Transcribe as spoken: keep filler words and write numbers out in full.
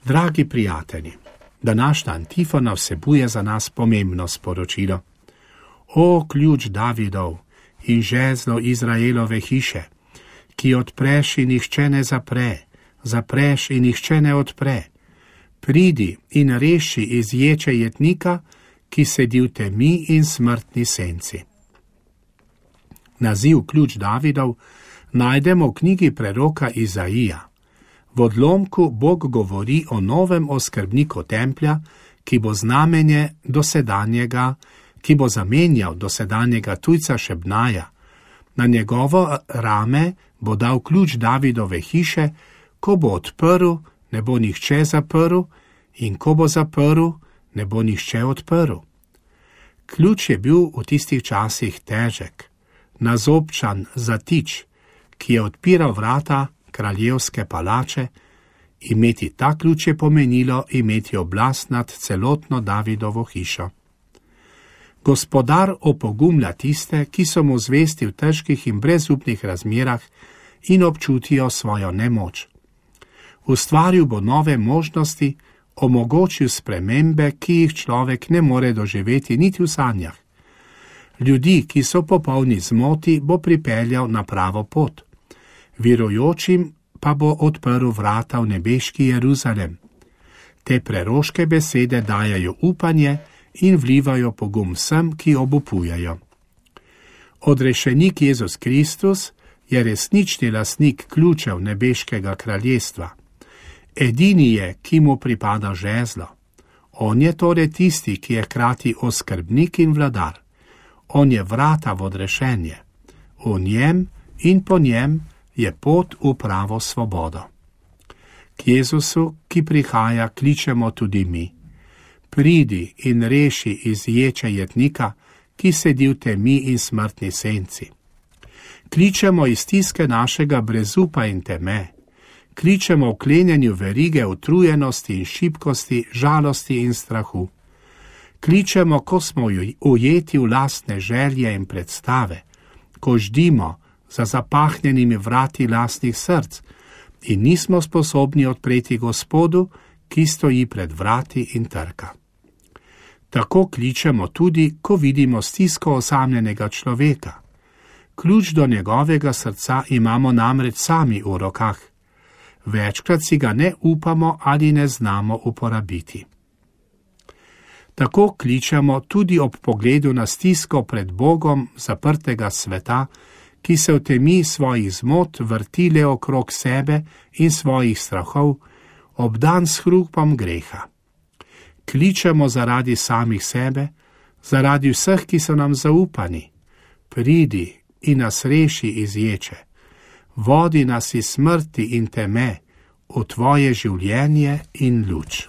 Dragi prijatelji, današnja antifona vsebuje za nas pomembno sporočilo. O ključ Davidov in žezlo Izraelove hiše, ki odpreš in nihče ne zapre, zapreš in nihče ne odpre, pridi in reši iz ječe jetnika, ki sedi v temi in smrtni senci. Naziv ključ Davidov najdemo v knjigi preroka Izaija. V odlomku Bog govori o novem oskrbniku templja, ki bo znamenje dosedanjega, ki bo zamenjal dosedanjega tujca Šebnaja. Na njegovo rame bo dal ključ Davidove hiše, ko bo odprl, ne bo nihče zaprl, in ko bo zaprl, ne bo nihče odprl. Ključ je bil v tistih časih težek, nazobčan zatič, ki je odpiral vrata kraljevske palače. Imeti ta ključ je pomenilo imeti oblast nad celotno Davidovo hišo. Gospodar opogumlja tiste, ki so mu zvesti v težkih in brezupnih razmerah in občutijo svojo nemoč. Ustvaril bo nove možnosti, omogočil spremembe, ki jih človek ne more doživeti niti v sanjah. Ljudi, ki so popolni zmoti, bo pripeljal na pravo pot. Verujočim pa bo odprl vrata v nebeški Jeruzalem. Te preroške besede dajajo upanje in vlivajo pogum vsem, ki obupujejo. Odrešenik Jezus Kristus je resnični lastnik ključev nebeškega kraljestva. Edini je, ki mu pripada žezlo. On je torej tisti, ki je hkrati oskrbnik in vladar. On je vrata v odrešenje. V njem in po njem je pot v pravo svobodo. K Jezusu, ki prihaja, kličemo tudi mi. Pridi in reši iz ječe jetnika, ki sedi v temi in smrtni senci. Kličemo iz stiske našega brezupa in teme. Kličemo v klenjenju verige utrujenosti in šibkosti, žalosti in strahu. Kličemo, ko smo ujeti v lastne želje in predstave, ko ždimo za zapahnjenimi vrati lastnih src in nismo sposobni odpreti Gospodu, ki stoji pred vrati in trka. Tako kličemo tudi, ko vidimo stisko osamljenega človeka. Ključ do njegovega srca imamo namreč sami v rokah. Večkrat si ga ne upamo ali ne znamo uporabiti. Tako kličemo tudi ob pogledu na stisko pred Bogom zaprtega sveta, ki se v temi svojih zmot vrtile okrog sebe in svojih strahov, obdan s hrupom greha. Kličemo zaradi samih sebe, zaradi vseh, ki so nam zaupani. Pridi in nas reši iz ječe. Vodi nas iz smrti in teme v tvoje življenje in luč.